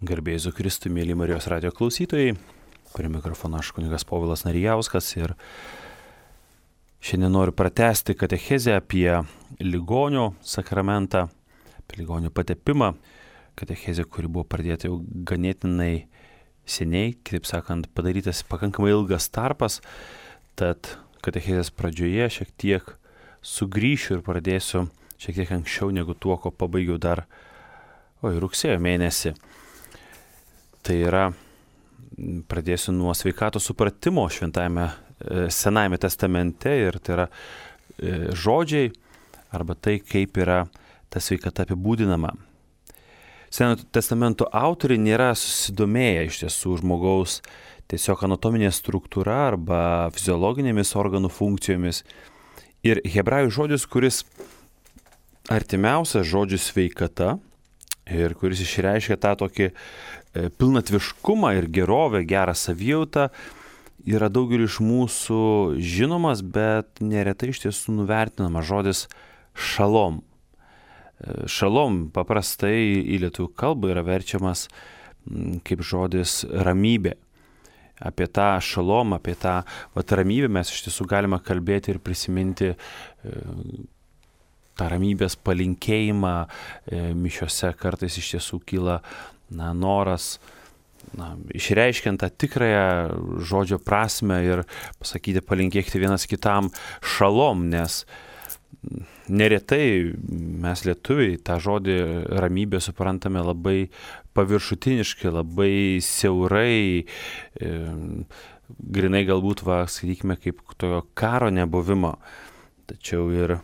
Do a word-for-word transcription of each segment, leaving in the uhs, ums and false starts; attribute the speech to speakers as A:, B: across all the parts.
A: Garbė Jėzui Kristui, mėly Marijos radijo klausytojai, prie mikrofono aš kunigas Povilas Narijauskas ir šiandien noriu pratęsti katechezę apie ligonio sakramentą, apie ligonio patepimą. Katechezė, kuri buvo pradėta jau ganėtinai seniai, kitaip sakant, padarytas pakankamai ilgas tarpas, tad katechezės pradžioje šiek tiek sugrįšiu ir pradėsiu šiek tiek anksčiau negu tuo, ko pabaigiau dar oi, rugsėjo mėnesį. Tai yra, pradėsiu nuo sveikatos supratimo šventajame Senajame testamente ir tai yra žodžiai arba tai, kaip yra ta sveikata apibūdinama. Senojo testamento autoriai nėra susidomėję iš tiesų žmogaus tiesiog anatominė struktūra arba fiziologinėmis organų funkcijomis. Ir hebrajų žodis, kuris artimiausias žodžių sveikata ir kuris išreiškia tą tokį pilnatviškumą ir gerovę, gerą savijautą, yra daugeliu iš mūsų žinomas, bet neretai iš tiesų nuvertinamas žodis šalom. Šalom paprastai į lietuvių kalbą yra verčiamas kaip žodis ramybė. Apie tą šalom, apie tą vat, ramybę mes iš tiesų galime kalbėti ir prisiminti tą ramybės palinkėjimą. Mišiose kartais iš tiesų kyla na, noras na, išreiškiant tą tikrąją žodžio prasme ir pasakyti, palinkėkti vienas kitam šalom, nes neretai mes lietuviai tą žodį ramybę suprantame labai paviršutiniškai, labai siaurai, e, grinai galbūt, va, sakykime, kaip tokio karo nebuvimo. Tačiau ir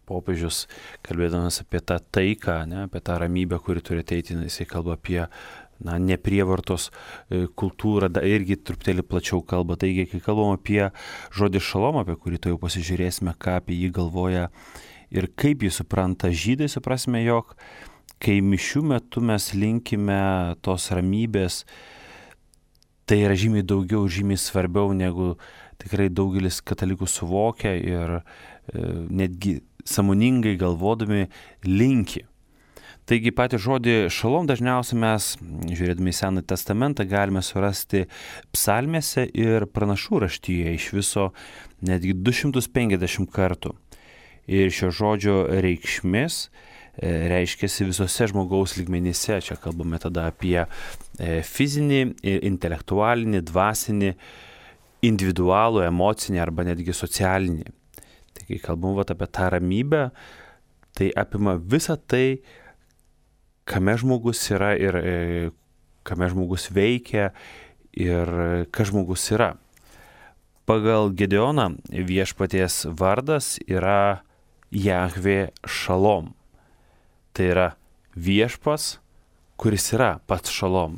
A: popiežius, kalbėdamas apie tą taiką, ne, apie tą ramybę, kuri turi ateiti, jisai kalba apie na, neprievartos kultūrą, da, irgi truputėlį plačiau kalba. Taigi, kai kalbam apie žodį šalom, apie kurį to jau pasižiūrėsime, ką apie jį galvoja ir kaip jį supranta žydai, suprasime, jog kai mišių metu mes linkime tos ramybės, tai yra žymiai daugiau, žymiai svarbiau, negu tikrai daugelis katalikų suvokia ir e, netgi sąmoningai galvodami linki. Taigi patį žodį šalom dažniausiai mes, žiūrėdami į Senąjį testamentą, galime surasti psalmėse ir pranašų raštyje iš viso netgi du šimtus penkiasdešimt kartų. Ir šio žodžio reikšmės reiškiasi visose žmogaus lygmenyse. Čia kalbame tada apie fizinį, intelektualinį, dvasinį, individualų, emocinį arba netgi socialinį. Tai kai kalbam vat, apie tą ramybę, tai apima visą tai, kame žmogus yra ir e, kame žmogus veikia ir kas žmogus yra. Pagal Gedeoną viešpaties vardas yra Jahvė Šalom. Tai yra viešpas, kuris yra pats šalom.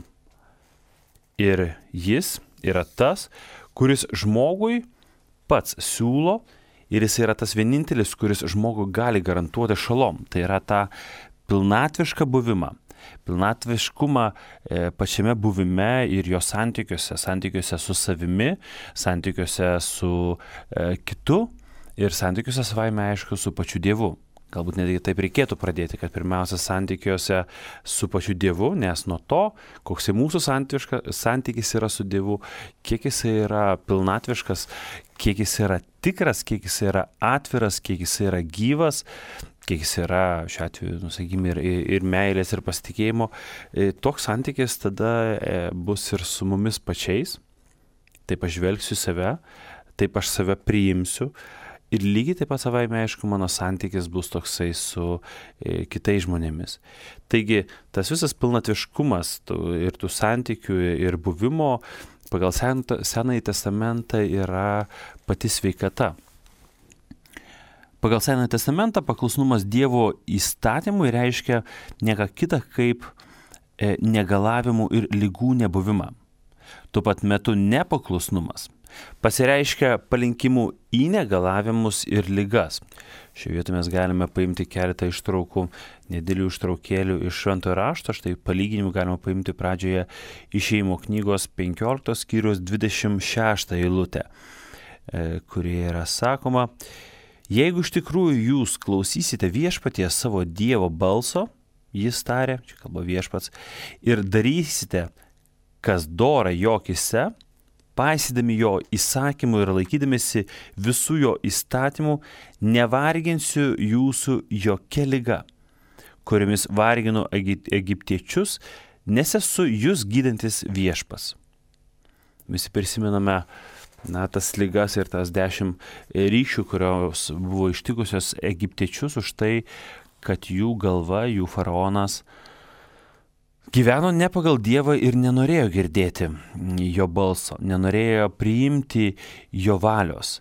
A: Ir jis yra tas, kuris žmogui pats siūlo ir jis yra tas vienintelis, kuris žmogui gali garantuoti šalom. Tai yra tą pilnatvišką buvimą. Pilnatviškumą e, pačiame buvime ir jo santykiuose, santykiuose su savimi, santykiuose su e, kitu ir santykiuose savaime aišku su pačiu Dievu. Galbūt netgi taip reikėtų pradėti, kad pirmiausia santykiuose su pačiu Dievu, nes nuo to, koks mūsų santykis yra su Dievu, kiek jis yra pilnatviškas, kiek jis yra tikras, kiek jis yra atviras, kiek jis yra gyvas, kiek jis yra, šiuo atveju, nusakykime, ir, ir meilės, ir pasitikėjimo, toks santykis tada bus ir su mumis pačiais. Taip aš žvelgsiu save, taip aš save priimsiu. Ir lygiai taip pat savaime, aišku, mano santykis bus toksai su e, kitais žmonėmis. Taigi, tas visas pilnatviškumas tų, ir tų santykių ir buvimo pagal sen, Senąjį testamentą yra pati sveikata. Pagal Senąjį testamentą paklusnumas Dievo įstatymui reiškia nieka kita kaip e, negalavimų ir ligų nebuvimą. Tuo pat metu nepaklusnumas pasireiškia palinkimu į negalavimus ir ligas. Šioje vietoje mes galime paimti keletą ištraukų, nedėlių ištraukėlių iš Šventojo rašto. Štai palyginimų galima paimti pradžioje Išėjimo knygos penkioliktos skyriaus dvidešimt šeštą eilutę, kurioje yra sakoma: Jeigu iš tikrųjų jūs klausysite viešpaties savo Dievo balso, jis tarė, čia kalba viešpats, ir darysite, kas dora jo akyse, paisydami jo įsakymų ir laikydamėsi visų jo įstatymų, nevarginsiu jūsų jokia liga, kuriomis varginu egiptiečius, nes esu jūs gydantis viešpas. Visi prisimename na, tas ligas ir tas dešimt ryšių, kurios buvo ištikusios egiptiečius už tai, kad jų galva, jų faraonas gyveno ne pagal Dievą ir nenorėjo girdėti jo balso, nenorėjo priimti jo valios.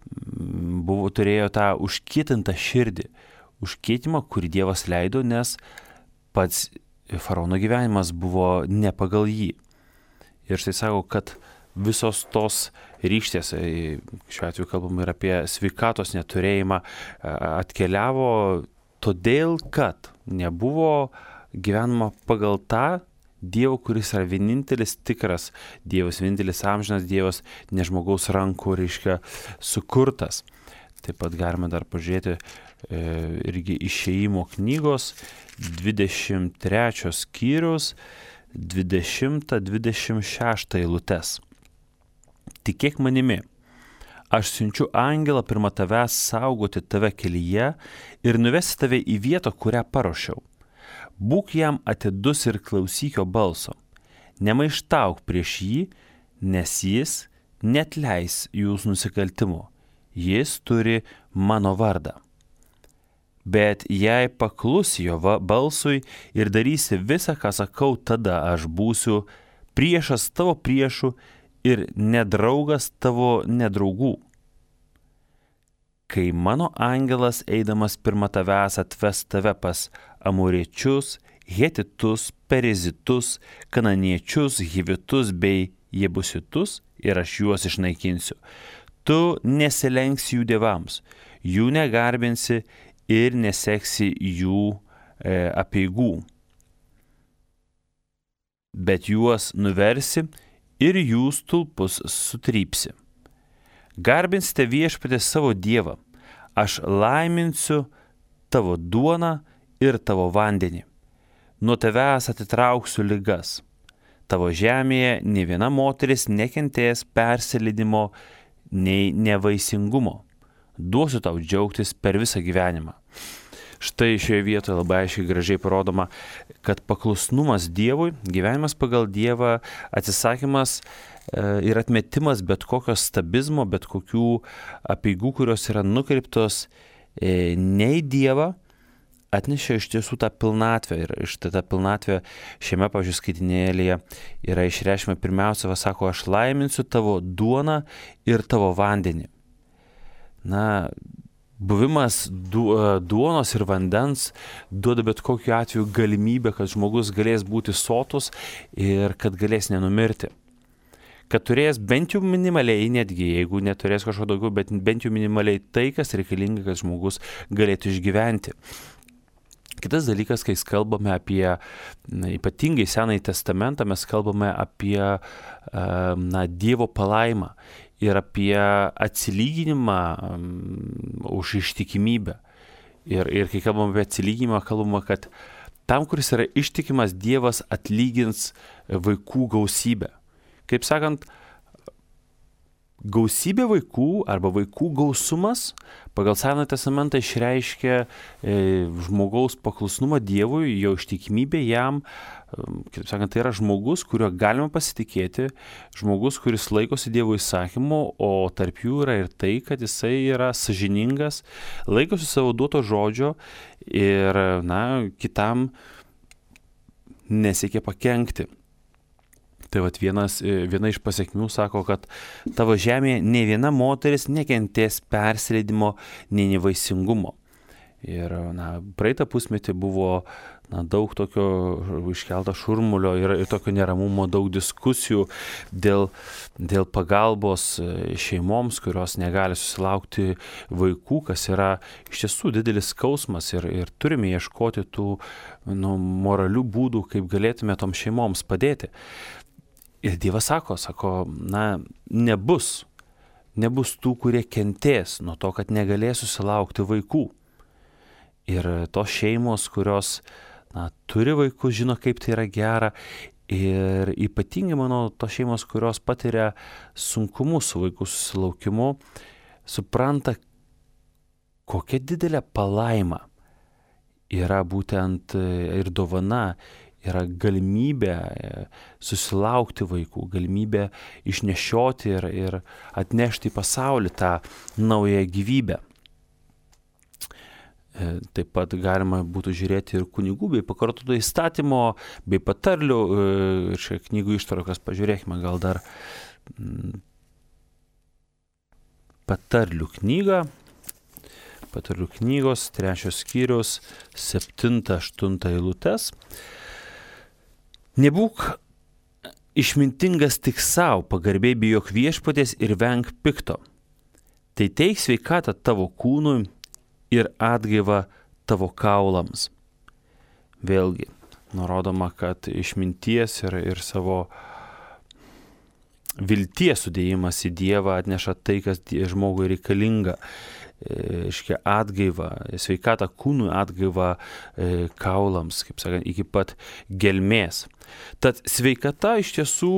A: Buvo, turėjo tą užkietintą širdį, užkietimą, kurį Dievas leido, nes pats faraono gyvenimas buvo ne pagal jį. Ir štai sako, kad visos tos ryštės, šiuo atveju kalbam ir apie sveikatos neturėjimą, atkeliavo todėl, kad nebuvo gyvenama pagal tą Dievo, kuris yra vienintelis tikras Dievas, vienintelis amžinas Dievas, ne žmogaus rankų, reiškia, sukurtas. Taip pat galime dar pažiūrėti e, irgi Išėjimo knygos dvidešimt trečios skyrius dvidešimtą dvidešimt šeštą eilutes. Tikėk manimi, aš siunčiu angelą pirma tavęs saugoti tave kelyje ir nuvesti tave į vietą, kurią paruošiau. Būk jam atidus ir klausyk jo balso. Nemaištauk prieš jį, nes jis neatleis jūsų nusikaltimo. Jis turi mano vardą. Bet jei paklusi jo balsui ir darysi visą, ką sakau, tada aš būsiu priešas tavo priešų ir nedraugas tavo nedraugų. Kai mano angelas eidamas pirma tavęs atves tave pas amoriečius, hetitus, perizitus, kananiečius, hivitus bei jebusitus ir aš juos išnaikinsiu. Tu nesilenksi jų dievams, jų negarbinsi ir neseksi jų e, apeigų, bet juos nuversi ir jų stulpus sutrypsi. Garbinsite viešpatį savo Dievą, aš laiminsiu tavo duoną ir tavo vandenį. Nuo tavęs atitrauksiu ligas. Tavo žemėje nė viena moteris nekentės persileidimo nei nevaisingumo. Duosiu tau džiaugtis per visą gyvenimą. Štai šioje vietoje labai aiškiai gražiai parodoma, kad paklusnumas Dievui, gyvenimas pagal Dievą, atsisakymas ir atmetimas bet kokio stabizmo, bet kokių apeigų, kurios yra nukreiptos ne į Dievą, atnešė iš tiesų tą pilnatvę. Ir štai ta pilnatvė šiame, pavyzdžiui, skaitinėlyje yra išreiškima pirmiausia, va sako, aš laiminsiu tavo duoną ir tavo vandenį. Na, buvimas du, duonos ir vandens duoda bet kokiu atveju galimybę, kad žmogus galės būti sotus ir kad galės nenumirti. Kad turės bent jau minimaliai, netgi jeigu neturės kažko daugiau, bet bent jau minimaliai tai, kas reikalinga, kad žmogus galėtų išgyventi. Kitas dalykas, kai kalbame apie na, ypatingai Senąjį testamentą, mes kalbame apie na, Dievo palaimą ir apie atsilyginimą um, už ištikimybę. Ir, ir kai kalbame apie atsilyginimą, kalbame, kad tam, kuris yra ištikimas, Dievas atlygins vaikų gausybę. Kaip sakant, gausybė vaikų arba vaikų gausumas pagal Senąjį testamentą išreiškia e, žmogaus paklusnumą Dievui, jo ištikimybę jam. Kaip sakant, tai yra žmogus, kuriuo galima pasitikėti, žmogus, kuris laikosi Dievo įsakymų, o tarp jų yra ir tai, kad jisai yra sąžiningas, laikosi savo duoto žodžio ir na, kitam nesiekia pakenkti. Tai vat vienas, viena iš pasiekmių sako, kad tavo žemėje ne viena moteris nekentės persileidimo, nei nevaisingumo. Ir na, praeitą pusmetį buvo na, daug tokio iškelto šurmulio ir, ir tokio neramumo, daug diskusijų dėl, dėl pagalbos šeimoms, kurios negali susilaukti vaikų, kas yra iš tiesų didelis skausmas ir, ir turime ieškoti tų nu, moralių būdų, kaip galėtume tom šeimoms padėti. Ir Dievas sako, sako, na, nebus, nebus tų, kurie kentės nuo to, kad negalės susilaukti vaikų. Ir tos šeimos, kurios, na, turi vaikus, žino, kaip tai yra gera. Ir ypatingai, manau, tos šeimos, kurios patiria sunkumus su vaikų susilaukimu, supranta, kokia didelė palaima yra būtent ir dovana, yra galimybė susilaukti vaikų, galimybė išnešioti ir, ir atnešti į pasaulį tą naują gyvybę. Taip pat galima būtų žiūrėti ir kunigų bei pakartoto įstatymo, bei patarlių, ir čia knygų ištraukas pažiūrėkime, gal dar patarlių knygą, patarlių knygos, trečios skyrius, septinta, aštunta eilutes. Nebūk išmintingas tik savo, pagarbiai bijok viešpaties ir venk pikto. Tai teik sveikatą tavo kūnui ir atgaivą tavo kaulams. Vėlgi, nurodoma, kad išminties ir, ir savo vilties sudėjimas į Dievą atneša tai, kas žmogui reikalinga. Iškia atgaivą, sveikatą kūnui, atgaivą e, kaulams, kaip sakant, iki pat gelmės. Tad sveikata iš tiesų,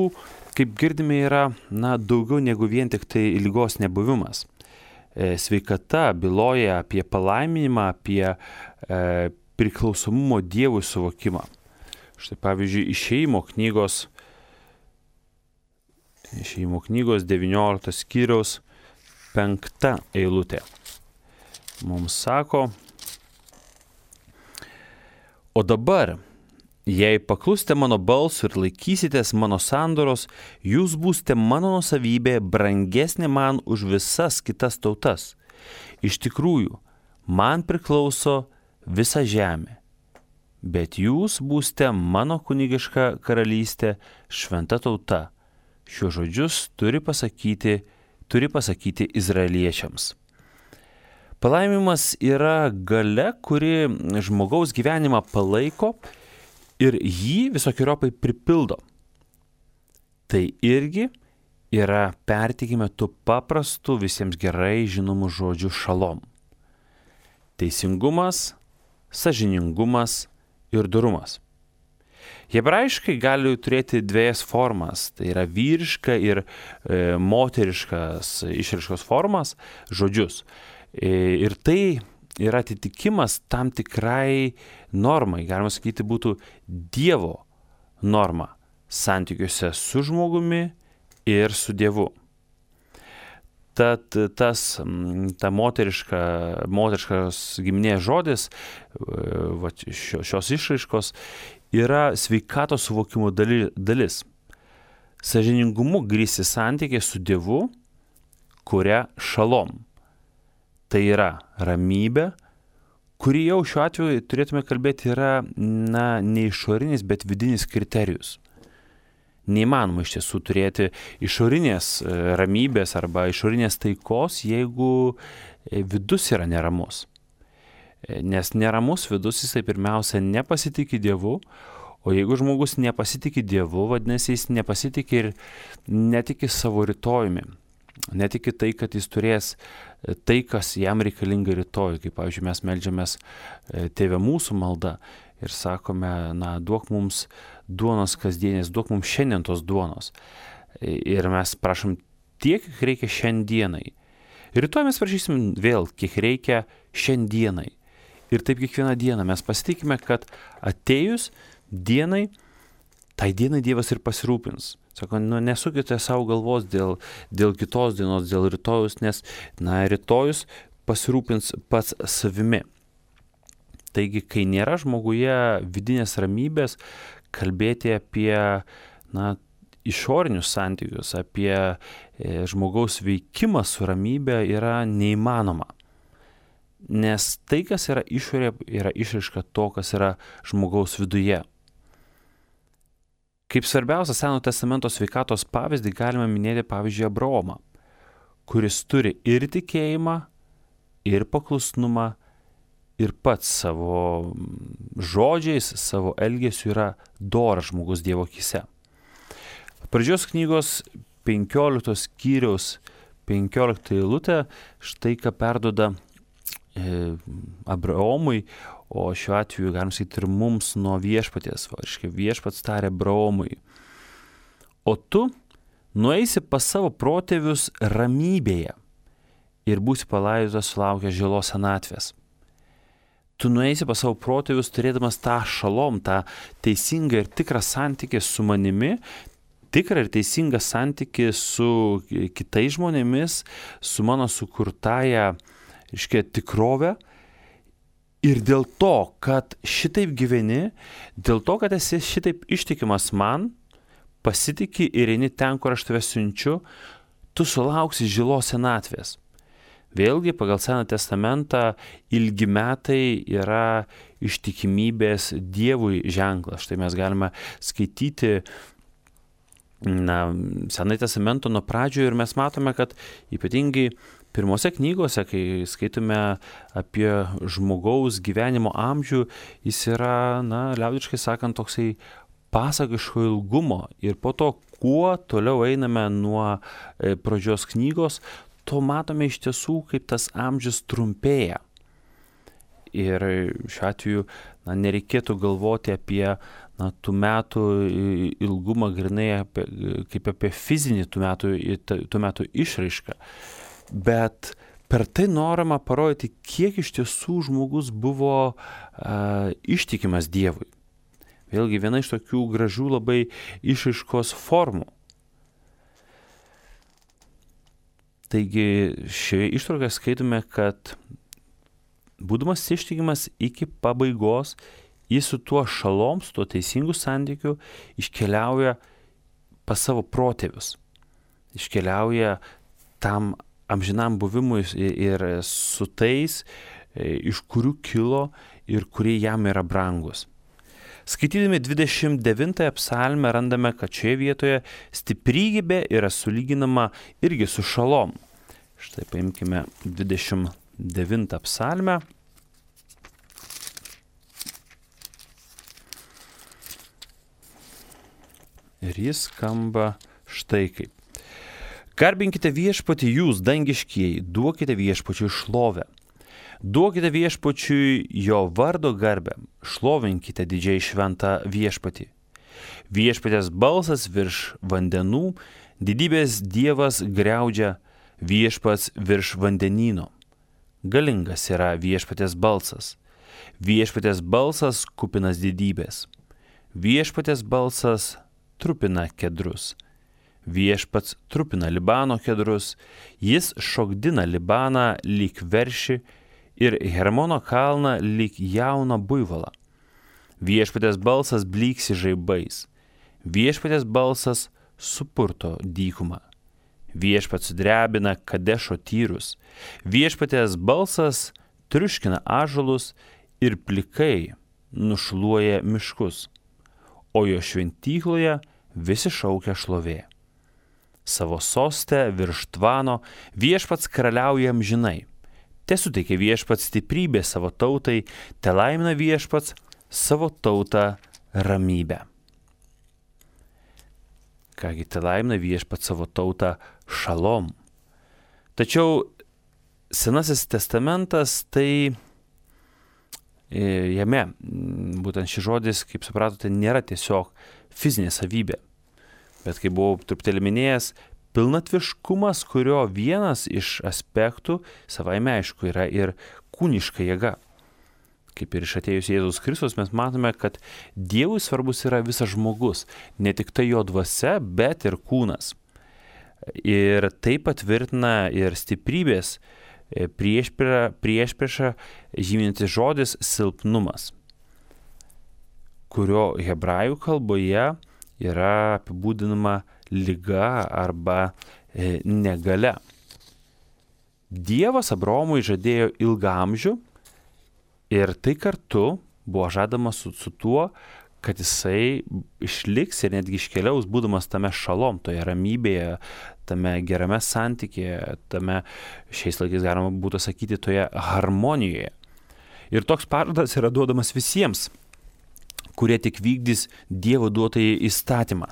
A: kaip girdime, yra na, daugiau negu vien tik tai ligos nebuvimas. E, sveikata byloja apie palaiminimą, apie e, priklausomumo Dievui suvokimą. Štai pavyzdžiui, Išėjimo knygos, Išėjimo knygos devynioliktos skyriaus penkta eilutė. Mums sako, o dabar, jei paklusite mano balsui ir laikysitės mano sandoros, jūs būsite mano nuosavybė, brangesnė man už visas kitas tautas. Iš tikrųjų, man priklauso visa žemė, bet jūs būsite mano kunigiška karalystė, šventa tauta. Šiuos žodžius turi pasakyti, turi pasakyti izraeliečiams. Palaimimas yra galia, kuri žmogaus gyvenimą palaiko ir jį visokiojopai pripildo. Tai irgi yra pertikime tų paprastų visiems gerai žinomų žodžių šalom. Teisingumas, sąžiningumas ir dorumas. Hebrajiškai gali turėti dviejas formas, tai yra vyriška ir e, moteriškas išraiškos formas, žodžius. Ir tai yra atitikimas tam tikrai normai, galima sakyti, būtų Dievo norma santykiuose su žmogumi ir su Dievu. Tad tas, ta moteriška, moteriškas giminės žodis, va, šios išraiškos, yra sveikatos suvokimo dalis. Sąžiningumu grįsti santykiai su Dievu, kuria šalom. Tai yra ramybė, kuri jau šiuo atveju turėtume kalbėti yra na, ne išorinis, bet vidinis kriterijus. Neįmanoma iš tiesų turėti išorinės ramybės arba išorinės taikos, jeigu vidus yra neramus. Nes neramus vidus jisai pirmiausia nepasitikė Dievu, o jeigu žmogus nepasitikė Dievu, vadinasi jis nepasitikė ir netiki savo rytojumi. Netiki tai, kad jis turės tai, kas jam reikalinga rytoj. Kaip, pavyzdžiui, mes meldžiamės Tėve mūsų malda ir sakome, na, duok mums duonos kasdienės, duok mums šiandien tos duonos. Ir mes prašom tiek, kiek reikia šiandienai. Ir rytoj mes prašysim vėl, kiek reikia šiandienai. Ir taip kiekvieną dieną mes pasitikime, kad atėjus dienai, tai dienai Dievas ir pasirūpins. Sako, nu, nesukite savo galvos dėl, dėl kitos dienos, dėl rytojus, nes, na, rytojus pasirūpins pats savimi. Taigi, kai nėra žmoguje vidinės ramybės, kalbėti apie, na, išorinius santykius, apie e, žmogaus veikimą su ramybė yra neįmanoma. Nes tai, kas yra išorė, yra išraiška to, kas yra žmogaus viduje. Kaip svarbiausia Senojo testamento sveikatos pavyzdį galime minėti, pavyzdžiui, Abraomą, kuris turi ir tikėjimą, ir paklusnumą, ir pats savo žodžiais, savo elgesiu yra doras žmogus Dievo akyse. Pradžios knygos penkioliktos skyriaus penkiolikta eilutė štai ką perduoda Abraomui, o šiuo atveju galim sakyti ir mums nuo viešpaties. Va, reiškia, viešpats tarė Abraomui: o tu nueisi pas savo protėvius ramybėje ir būsi palaidotas sulaukęs žilos senatvės. Tu nueisi pas savo protėvius turėdamas tą šalom, tą teisingą ir tikrą santykį su manimi, tikrą ir teisingą santykį su kitais žmonėmis, su mano sukurtąja, reiškia, tikrove. Ir dėl to, kad šitaip gyveni, dėl to, kad esi šitaip ištikimas man, pasitiki ir eini ten, kur aš tave siunčiu, tu sulauksi žilos senatvės. Vėlgi, pagal Seną testamentą, ilgi metai yra ištikimybės Dievui ženklas. Štai mes galime skaityti na, Senąjį testamentą nuo pradžių ir mes matome, kad ypatingai pirmose knygose, kai skaitome apie žmogaus gyvenimo amžių, jis yra, na, liaudiškai sakant, toksai pasakiško ilgumo. Ir po to, kuo toliau einame nuo pradžios knygos, to matome iš tiesų, kaip tas amžius trumpėja. Ir šiuo atveju na, nereikėtų galvoti apie na, tų metų ilgumą grinai apie, kaip apie fizinį tų metų, tų metų išraišką. Bet per tai norima parodyti, kiek iš tiesų žmogus buvo a, ištikimas Dievui. Vėlgi viena iš tokių gražių labai išraiškos formų. Taigi šioje ištraukoje skaitome, kad būdamas ištikimas iki pabaigos, jis su tuo šalom, su tuo teisingu santykiu iškeliauja pas savo protėvius. Iškeliauja tam amžinam buvimui ir su tais, iš kurių kilo ir kurie jam yra brangus. Skaitydami dvidešimt devintąją psalmę randame, kad šioje vietoje stiprybė yra sulyginama irgi su šalom. Štai paimkime dvidešimt devintą psalmę. Ir jis skamba štai kaip. Garbinkite viešpatį jūs, dangiškieji, duokite viešpačiui šlovę. Duokite viešpačiui jo vardo garbę, šlovinkite didžiai šventą viešpatį. Viešpatės balsas virš vandenų, didybės Dievas griaudžia, viešpats virš vandenyno. Galingas yra viešpatės balsas, viešpatės balsas kupinas didybės. Viešpatės balsas trupina kedrus. Viešpats trupina Libano kedrus, jis šokdina Libaną lyg veršį, ir Hermono kalną lyg jauną buivalą. Viešpatės balsas blyksi žaibais. Viešpatės balsas supurto dykumą. Viešpats sudrebina Kadešo tyrus. Viešpatės balsas triuškina ąžuolus ir plikai nušluoja miškus. O jo šventykloje visi šaukia šlovė. Savo soste virš tvano viešpats karaliauja amžinai. Te suteikia viešpats stiprybę savo tautai, te laimina viešpats savo tautą ramybę. Kągi, te laimina viešpats savo tautą šalom. Tačiau Senasis testamentas, tai jame, būtent šis žodis, kaip supratote, nėra tiesiog fizinė savybė. Bet kaip buvau truputėlį minėjęs, pilnatviškumas, kurio vienas iš aspektų savaime aišku yra ir kūniška jėga. Kaip ir iš atėjus Jėzus Kristus mes matome, kad Dievui svarbus yra visas žmogus, ne tik tai jo dvasia, bet ir kūnas. Ir tai patvirtina ir stiprybės priešpriešą žymintis žodis silpnumas, kurio hebrajų kalboje yra apibūdinama liga arba e, negalia. Dievas Abraomui žadėjo ilgaamžių ir tai kartu buvo žadama su, su tuo, kad jisai išliks ir netgi iškeliaus, būdamas tame šalom, toje ramybėje, tame gerame santykėje, tame šiais laikais galima būtų sakyti toje harmonijoje. Ir toks pažadas yra duodamas visiems, kurie tik vykdys Dievo duotąjį įstatymą.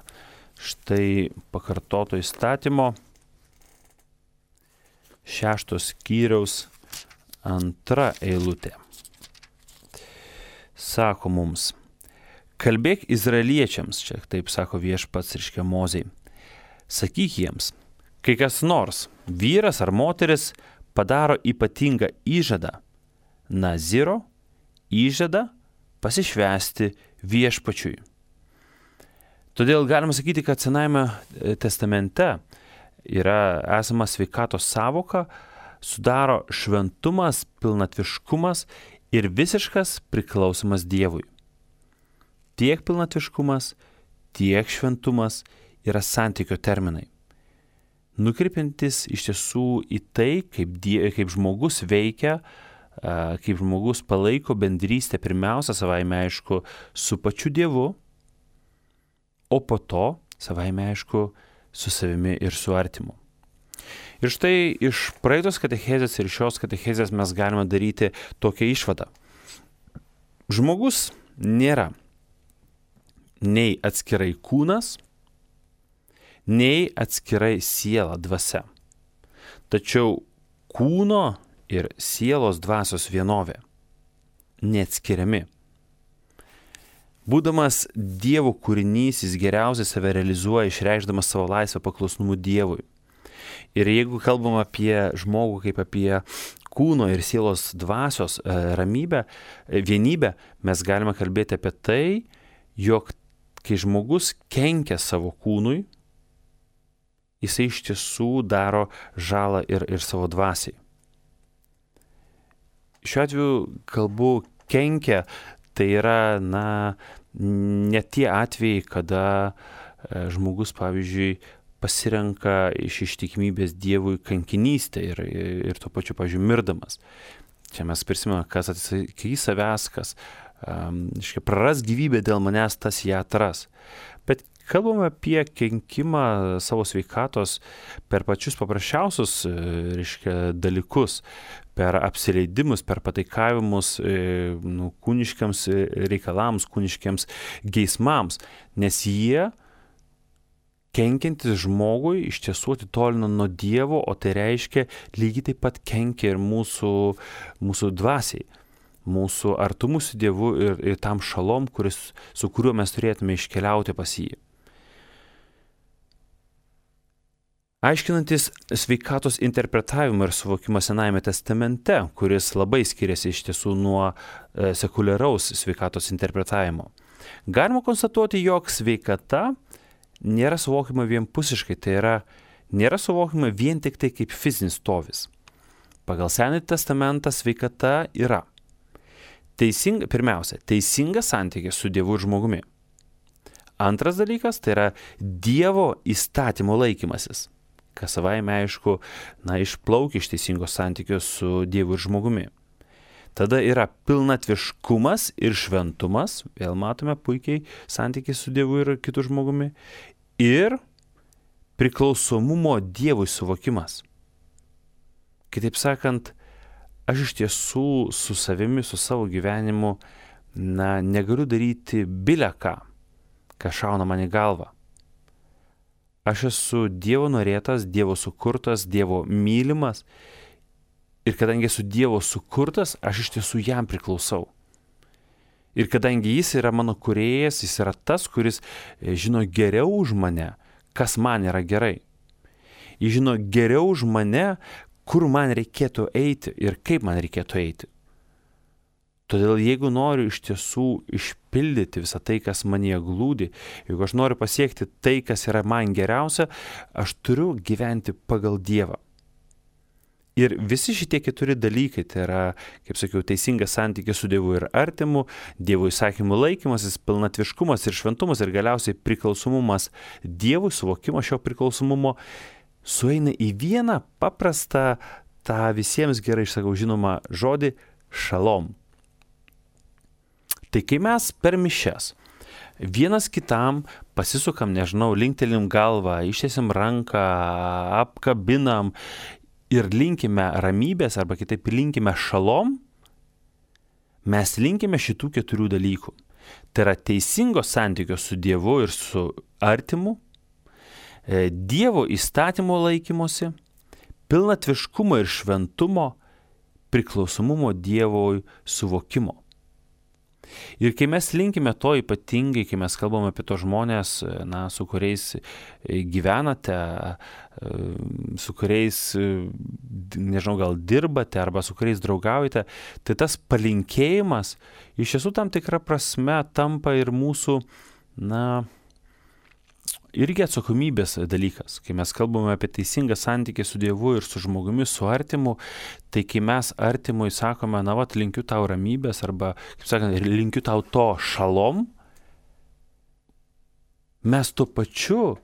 A: Štai pakartoto įstatymo šeštos skyriaus antra eilutė. Sako mums, kalbėk izraeliečiams, čia taip sako Viešpats, reiškia Mozei, sakyk jiems, kai kas nors, vyras ar moteris, padaro ypatingą įžadą, naziro įžadą pasišvęsti Viešpačiui. Todėl galima sakyti, kad Senajame testamente yra esama sveikatos sąvoka, sudaro šventumas, pilnatviškumas ir visiškas priklausimas Dievui. Tiek pilnatviškumas, tiek šventumas yra santykio terminai, nukreipiantis iš tiesų į tai, kaip, die, kaip žmogus veikia, kaip žmogus palaiko bendrystę pirmiausia savaime aišku su pačiu Dievu, o po to savaime aišku su savimi ir su artimu. Ir štai iš praeitos katechezės ir šios katechezės mes galime daryti tokią išvadą. Žmogus nėra nei atskirai kūnas, nei atskirai siela, dvasia. Tačiau kūno ir sielos dvasios vienovė, neatskiriami. Būdamas Dievo kūrinys, jis geriausiai save realizuoja, išreikšdamas savo laisvę paklusnumu Dievui. Ir jeigu kalbam apie žmogų kaip apie kūno ir sielos dvasios ramybę, vienybę, mes galime kalbėti apie tai, jog kai žmogus kenkia savo kūnui, jisai iš tiesų daro žalą ir, ir savo dvasiai. Šiuo atveju kalbu kenkia, tai yra, na, ne tie atvejai, kada žmogus, pavyzdžiui, pasirenka iš ištikimybės Dievui kankinystę ir, ir tuo pačiu, pavyzdžiui, mirdamas. Čia mes prisimename, kas atsisakys savęs, kas um, iškia, praras gyvybę dėl manęs, tas ją atras. Bet kalbame apie kenkimą savo sveikatos per pačius paprasčiausius reiškia, dalykus, per apsileidimus, per pataikavimus nu, kūniškiams reikalams, kūniškiams geismams, nes jie kenkiantis žmogui iš tiesų atitolina nuo Dievo, o tai reiškia lygiai taip pat kenkia ir mūsų, mūsų dvasiai, mūsų artumų su Dievu ir, ir tam šalom, kuris, su kuriuo mes turėtume iškeliauti pas jį. Aiškinantis sveikatos interpretavimą ir suvokimą Senajame testamente, kuris labai skiriasi iš tiesų nuo e, sekuliaraus sveikatos interpretavimo, galima konstatuoti, jog sveikata nėra suvokiama vienpusiškai, tai yra nėra suvokiama vien tik tai kaip fizinis stovis. Pagal Senąjį testamentą sveikata yra teisinga, pirmiausia, teisingas santykis su Dievu ir žmogumi. Antras dalykas, tai yra Dievo įstatymo laikymasis, kas savaime aišku, na, išplaukia iš teisingos santykios su Dievu ir žmogumi. Tada yra pilnatviškumas ir šventumas, vėl matome puikiai santykį su Dievu ir kitu žmogumi, ir priklausomumo Dievui suvokimas. Kitaip sakant, aš iš tiesų su savimi, su savo gyvenimu, na, negaliu daryti bile ką, ką šauna man į galvą. Aš esu Dievo norėtas, Dievo sukurtas, Dievo mylimas. Ir kadangi esu Dievo sukurtas, aš iš tiesų jam priklausau. Ir kadangi jis yra mano kūrėjas, jis yra tas, kuris žino geriau už mane, kas man yra gerai. Jis žino geriau už mane, kur man reikėtų eiti ir kaip man reikėtų eiti. Todėl jeigu noriu iš tiesų išpildyti visą tai, kas manyje glūdi, jeigu aš noriu pasiekti tai, kas yra man geriausia, aš turiu gyventi pagal Dievą. Ir visi šitie keturi dalykai, tai yra, kaip sakiau, teisingas santykis su Dievu ir artimu, Dievo įsakymų laikymasis, pilnatviškumas ir šventumas ir galiausiai priklausomumas Dievui, suvokimas šio priklausomumo, sueina į vieną paprastą, tą visiems gerai išsakau žinomą žodį šalom. Tai kai mes per mišias vienas kitam pasisukam, nežinau, linktelim galvą, ištiesim ranką, apkabinam ir linkime ramybės, arba kitaip linkime šalom, mes linkime šitų keturių dalykų. Tai yra teisingo santykio su Dievu ir su artimu, Dievo įstatymo laikymosi, pilnatviškumo ir šventumo, priklausomumo Dievui suvokimo. Ir kai mes linkime to ypatingai, kai mes kalbame apie tos žmonės, na, su kuriais gyvenate, su kuriais, nežinau, gal dirbate arba su kuriais draugaujate, tai tas palinkėjimas iš tiesų tam tikra prasme tampa ir mūsų, na, irgi atsakomybės dalykas. Kai mes kalbame apie teisingą santykį su Dievu ir su žmogumi, su artimu, tai kai mes artimui sakome, na, vat, linkiu tau ramybės arba, kaip sakant, linkiu tau to šalom, mes tuo pačiu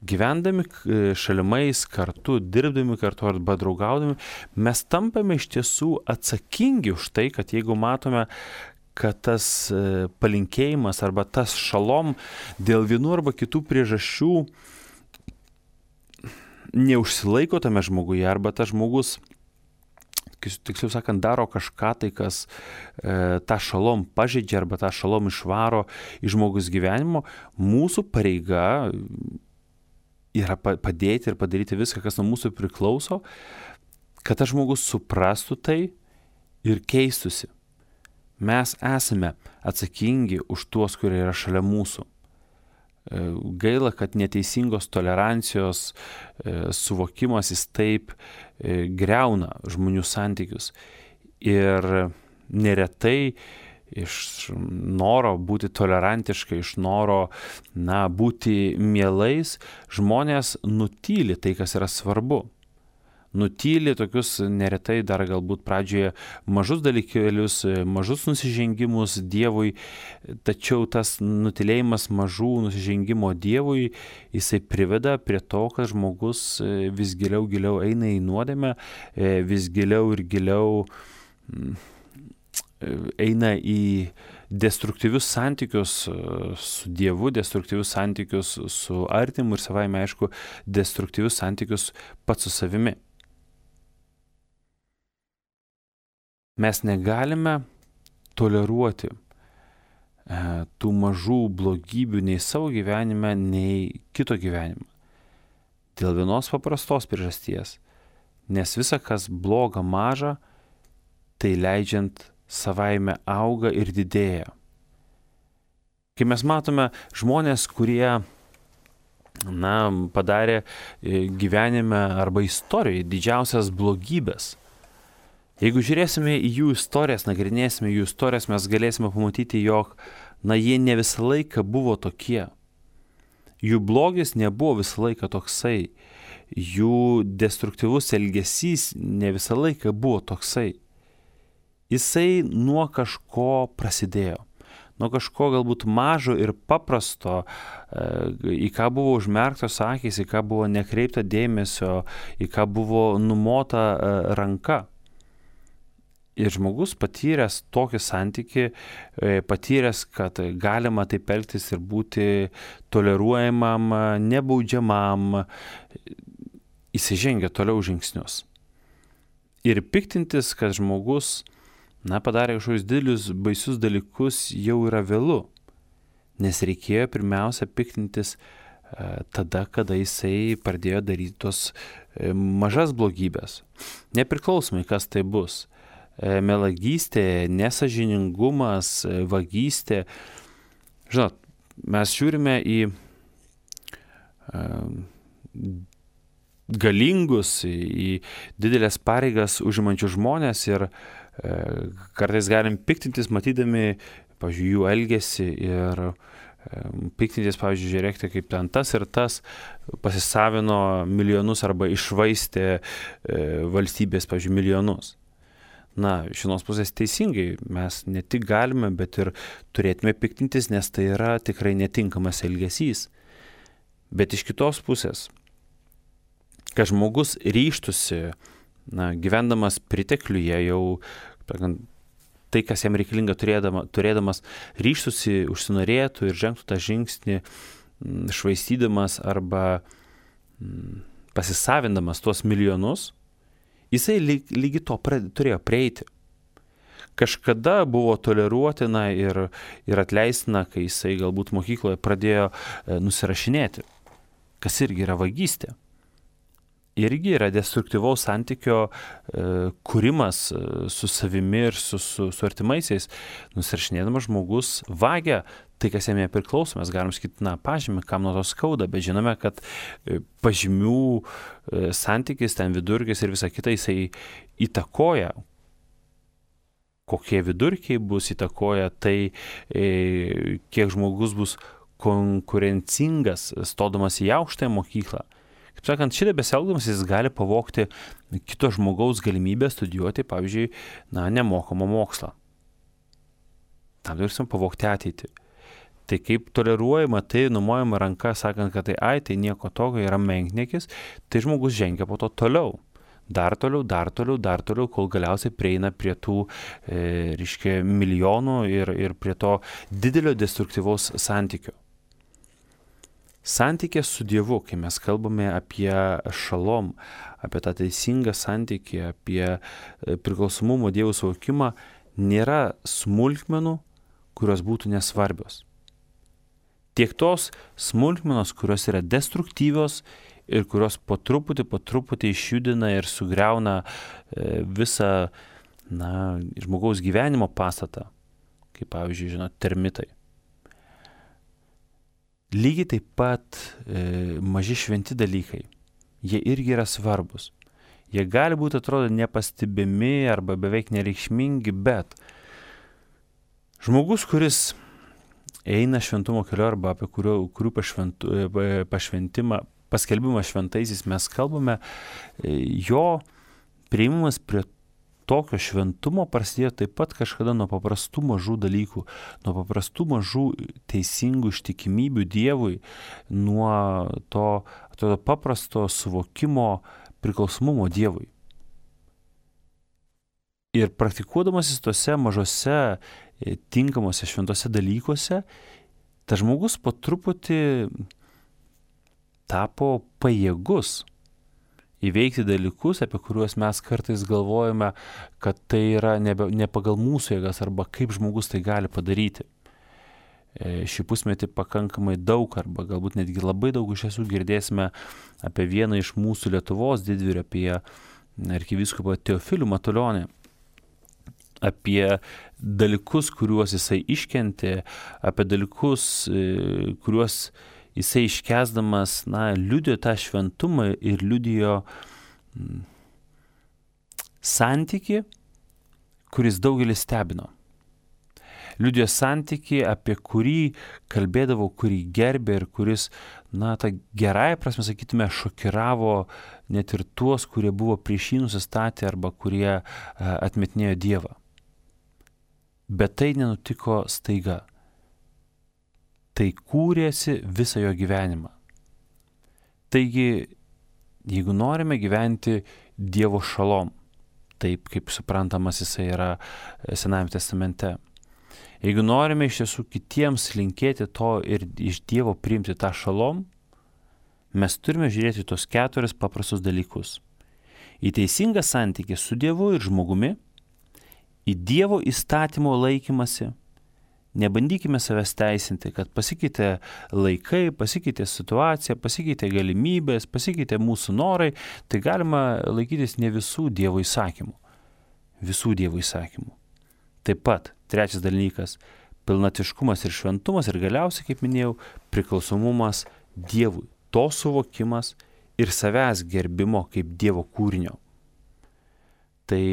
A: gyvendami šalimais kartu, dirbdami kartu arba draugaudami, mes tampame iš tiesų atsakingi už tai, kad jeigu matome, kad tas palinkėjimas arba tas šalom dėl vienų arba kitų priežasčių neužsilaiko tame žmoguje, arba tas žmogus, tiksliau sakant, daro kažką tai, kas e, tą šalom pažeidžia arba tą šalom išvaro iš žmogus gyvenimo, mūsų pareiga yra padėti ir padaryti viską, kas nuo mūsų priklauso, kad tas žmogus suprastų tai ir keistusi. Mes esame atsakingi už tuos, kurie yra šalia mūsų. Gaila, kad neteisingos tolerancijos suvokimas jis taip greuna žmonių santykius. Ir neretai iš noro būti tolerantiškai, iš noro, na, būti mielais, žmonės nutyli tai, kas yra svarbu. Nutyli tokius neretai dar galbūt pradžioje mažus dalykėlius, mažus nusižengimus Dievui, tačiau tas nutylėjimas mažų nusižengimo Dievui, jisai priveda prie to, kad žmogus vis giliau giliau eina į nuodėmę, vis giliau ir giliau eina į destruktyvius santykius su Dievu, destruktyvius santykius su artimu ir savaime, aišku, destruktyvius santykius pats su savimi. Mes negalime toleruoti e, tų mažų blogybių nei savo gyvenime, nei kito gyvenime. Dėl vienos paprastos priežasties. Nes visa, kas bloga maža, tai leidžiant savaime auga ir didėja. Kai mes matome žmonės, kurie, na, padarė gyvenime arba istorijoje didžiausias blogybės, jeigu žiūrėsime į jų istorijas, nagrinėsime jų istorijas, mes galėsime pamatyti, jog, na, jie ne visą laiką buvo tokie. Jų blogis nebuvo visą laiką toksai. Jų destruktyvus elgesys ne visą laiką buvo toksai. Jisai nuo kažko prasidėjo. Nuo kažko galbūt mažo ir paprasto, į ką buvo užmerktos akys, į ką buvo nekreipta dėmesio, į ką buvo numota ranka. Ir žmogus patyręs tokį santykį, patyręs, kad galima taip elgtis ir būti toleruojamam, nebaudžiamam, įsižengia toliau žingsnius. Ir piktintis, kad žmogus, na, padarė kažkokius didelius, baisius dalykus, jau yra vėlu. Nes reikėjo pirmiausia piktintis tada, kada jisai pradėjo daryti tos mažas blogybės. Nepriklausomai, kas tai bus. Melagystė, nesažiningumas, vagystė. Žinot, mes žiūrime į galingus, į didelės pareigas užimančius žmonės ir kartais galim piktintis, matydami, pavyzdžiui, jų elgesį ir piktintis, pavyzdžiui, žiūrėkite, kaip ten tas ir tas pasisavino milijonus arba išvaistė valstybės, pavyzdžiui, milijonus. Na, iš vienos pusės teisingai, mes ne tik galime, bet ir turėtume piktintis, nes tai yra tikrai netinkamas elgesys. Bet iš kitos pusės, kad žmogus ryžtųsi, na, gyvendamas pritekliuje jau, tai, kas jam reikalinga turėdama, turėdamas, ryžtųsi, užsinorėtų ir žengtų tą žingsnį, švaistydamas arba pasisavindamas tuos milijonus, jisai lyg, lygi to pra, turėjo prieiti. Kažkada buvo toleruotina ir, ir atleistina, kai jisai galbūt mokykloje pradėjo e, nusirašinėti, kas irgi yra vagystė. irgi yra destruktyvaus santykio e, kūrimas e, su savimi ir su, su, su artimaisiais. Nusirašinėdamas žmogus vagia tai, kas jam nepriklauso. Mes galim sakyti, na, pažymį, kam nuo to skauda, bet žinome, kad e, pažymių e, santykis, ten vidurkis ir visa kita, jisai įtakoja. Kokie vidurkiai bus, įtakoja tai, e, kiek žmogus bus konkurencingas, stodamas į aukštąją mokyklą. Kaip sakant, šitą besielgdamas jis gali pavogti kito žmogaus galimybę studijuoti, pavyzdžiui, na, nemokamą mokslą. Tam turėsim pavogti ateitį. Tai kaip toleruojama, tai numojama ranka, sakant, kad tai ai, tai nieko tokio, yra menkniekis, tai žmogus žengia po to toliau. Dar toliau, dar toliau, dar toliau, kol galiausiai prieina prie tų, e, reiškia, milijonų ir, ir prie to didelio destruktyvaus santykio. Santykė su Dievu, kai mes kalbame apie šalom, apie tą teisingą santykį, apie priklausomumo Dievo suvokimą, nėra smulkmenų, kurios būtų nesvarbios. Tiek tos smulkmenos, kurios yra destruktyvios ir kurios po truputį, po truputį išjudina ir sugriauna visą, na, žmogaus gyvenimo pastatą, kaip pavyzdžiui, žinot, termitai. Lygiai taip pat e, maži šventi dalykai, jie irgi yra svarbus. Jie gali būti, atrodo, nepastebimi arba beveik nereikšmingi, bet žmogus, kuris eina šventumo keliu arba apie kurio, kurių pašventu, pašventimą, paskelbimą šventaisiais mes kalbame, e, jo priėmimas prie tokio šventumo prasidėjo taip pat kažkada nuo paprastų mažų dalykų, nuo paprastų mažų teisingų ištikimybių Dievui, nuo to, to paprasto suvokimo priklausomumo Dievui. Ir praktikuodamasis tose mažose, tinkamose šventose dalykuose, tas žmogus po truputį tapo pajėgus įveikti dalykus, apie kuriuos mes kartais galvojame, kad tai yra nebe, ne pagal mūsų jėgas arba kaip žmogus tai gali padaryti. E, šį pusmetį pakankamai daug arba galbūt netgi labai daug iš tiesų girdėsime apie vieną iš mūsų Lietuvos didvyrių, apie arkivyskupą Teofilių Matulionį, apie dalykus, kuriuos jisai iškentė, apie dalykus, kuriuos jisai iškęsdamas, na, liudijo tą šventumą ir liudijo mm, santykį, kuris daugelį stebino. Liudijo santykį, apie kurį kalbėdavo, kurį gerbė ir kuris, na, tą gerąją prasme, sakytume, šokiravo net ir tuos, kurie buvo prieš jį nusistatę arba kurie a, atmetinėjo Dievą. Bet tai nenutiko staiga. Tai kūrėsi visą jo gyvenimą. Taigi, jeigu norime gyventi Dievo šalom, taip kaip suprantamas jisai yra Senajame testamente, jeigu norime iš tiesų kitiems linkėti to ir iš Dievo priimti tą šalom, mes turime žiūrėti tos keturis paprastus dalykus. Į teisingą santykį su Dievu ir žmogumi, į Dievo įstatymo laikymasi. Nebandykime savęs teisinti, kad pasikeitė laikai, pasikeitė situacija, pasikeitė galimybės, pasikeitė mūsų norai, tai galima laikytis ne visų Dievo įsakymų. Visų Dievo įsakymų. Taip pat, trečias dalykas, pilnatiškumas ir šventumas ir galiausiai, kaip minėjau, priklausomumas Dievui. To suvokimas ir savęs gerbimo kaip Dievo kūrinio. Tai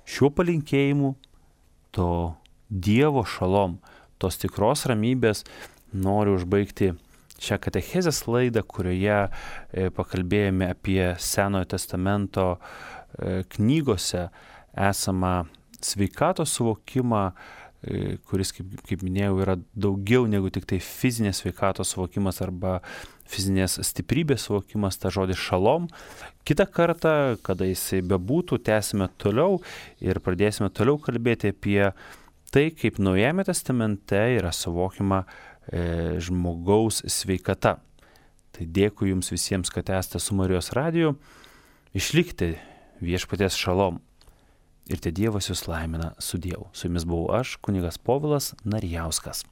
A: šiuo palinkėjimu to Dievo šalom, tos tikros ramybės noriu užbaigti šią katechezės laidą, kurioje e, pakalbėjome apie Senojo testamento e, knygose esamą sveikatos suvokimą, e, kuris, kaip, kaip minėjau, yra daugiau negu tik tai fizinės sveikatos suvokimas arba fizinės stiprybės suvokimas, ta žodis šalom. Kitą kartą, kada jisai bebūtų, tęsime toliau ir pradėsime toliau kalbėti apie tai, kaip Naujajame testamente yra suvokiama e, žmogaus sveikata. Tai dėkui jums visiems, kad esate su Marijos radiju. Išlikite viešpaties šalom. Ir te Dievas jūs laimina su Dievu. Su jumis buvau aš, kunigas Povilas Narijauskas.